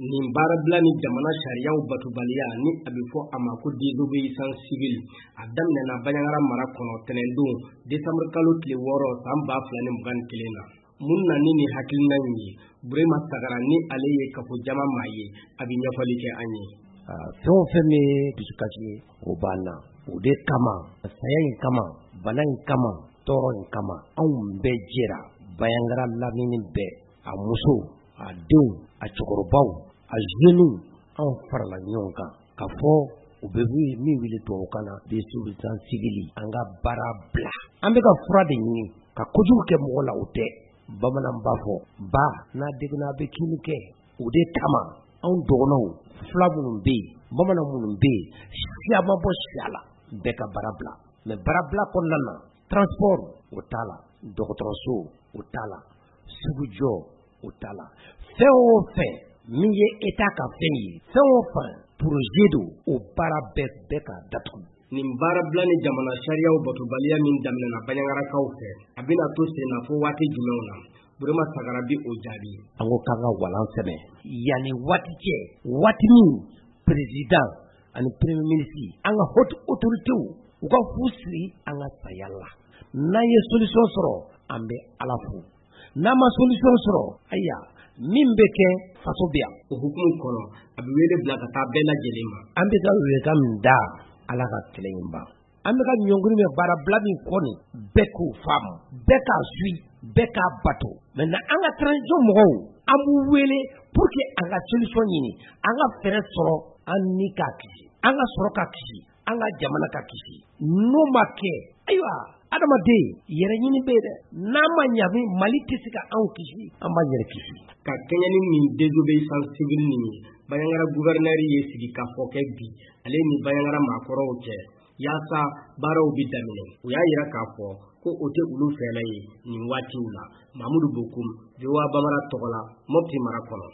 Nin baarabila ni jamana sariyaw batobaliya, ni a bɛ fɔ a ma ko désobéissance civile, a daminɛna Bandiagara mara kɔnɔ tɛnɛndon décembre kalo tile 6 san 2021 na. Mun na ni nin hakilina in ye? Burema Sagara, ni ale ye kafo jama maa ye, a bɛ ɲɛfɔli kɛ an ye. Fɛn o fɛn bɛ dusukasi ye, o b'an na. O de kama, saya in kama, bana in kama, tɔɔrɔ in kama, anw bɛɛ jɛra. Bandiagara lamini bɛɛ, a musow, a denw, a cɛkɔrɔbaw, a jeunes, anw farala ɲɔgɔn kan ka fɔ u bɛ min wele tubabukan na désobéissance civile, an ka baara bila. An bɛ ka fura de ɲini ka kojugu kɛ mɔgɔ la, o tɛ. Bamanan b'a fɔ ba n'a degunna a bɛ kini kɛ. O de kama anw dɔgɔnɔw, fila minnu bɛ yen, bamanan minnu bɛ yen, siya ma bɔ siya la, bɛɛ ka baara bila. Mais baarabila kɔnɔna na, transport o t'a la, dɔgɔtɔrɔso o t'a la, sugujɔ o t'a la, fɛn o fɛn min ye État ka fɛn ye, fɛn o fɛn projet don, o baara bɛɛ ka datugu. Nin baarabila ni jamana sariyaw batobaliya min daminɛna Bandiagarakaw fɛ, a bɛna to sen na fo waati jumɛnw na? Burema Sagara bi o jaabi. An ko k'an ka walan sɛbɛn yanni waati cɛ, waati min président ani premier ministre, an ka haute autorité, u ka fu siri an ka saya la. N'an ye solution sɔrɔ, an bɛ Ala fo. N'an ma solution sɔrɔ, ayiwa, min bɛ kɛ, faso bɛ yan. O hukumu kɔnɔ, a bɛ wele bila ka taa bɛɛ lajɛlen ma. An bɛ ka welekan min da, Ala ka kɛlɛ in ban. An bɛ ka ɲɔngiri min, baarabila min kɔ nin, bɛɛ k'o faamu, bɛɛ k'a suit, bɛɛ k'a bato. Maintenant an ka transition mɔgɔw, an b'u wele pour que an ka solution ɲini, an ka fɛɛrɛ sɔrɔ, an ni k'a kisi, an ka sɔrɔ ka kisi, an ka jamana ka kisi. N'o ma kɛ, ayiwa, adamaden yɛrɛ ɲini bɛ yen dɛ. N'a ma ɲa, Mali tɛ se ka anw kisi, an b'an yɛrɛ kisi. Ka kɛɲɛ ni nin désobéissance civile nin ye, Bandiagara gouverneur ye sigikafɔ kɛ bi ale ni Bandiagara maakɔrɔw cɛ, yaasa baaraw bɛ daminɛ. U y'a yira k'a fɔ ko o tɛ olu fɛla ye nin waatiw la. Mamudu Bokum, VOA Bambara tɔgɔ la, Mopti mara kɔnɔ.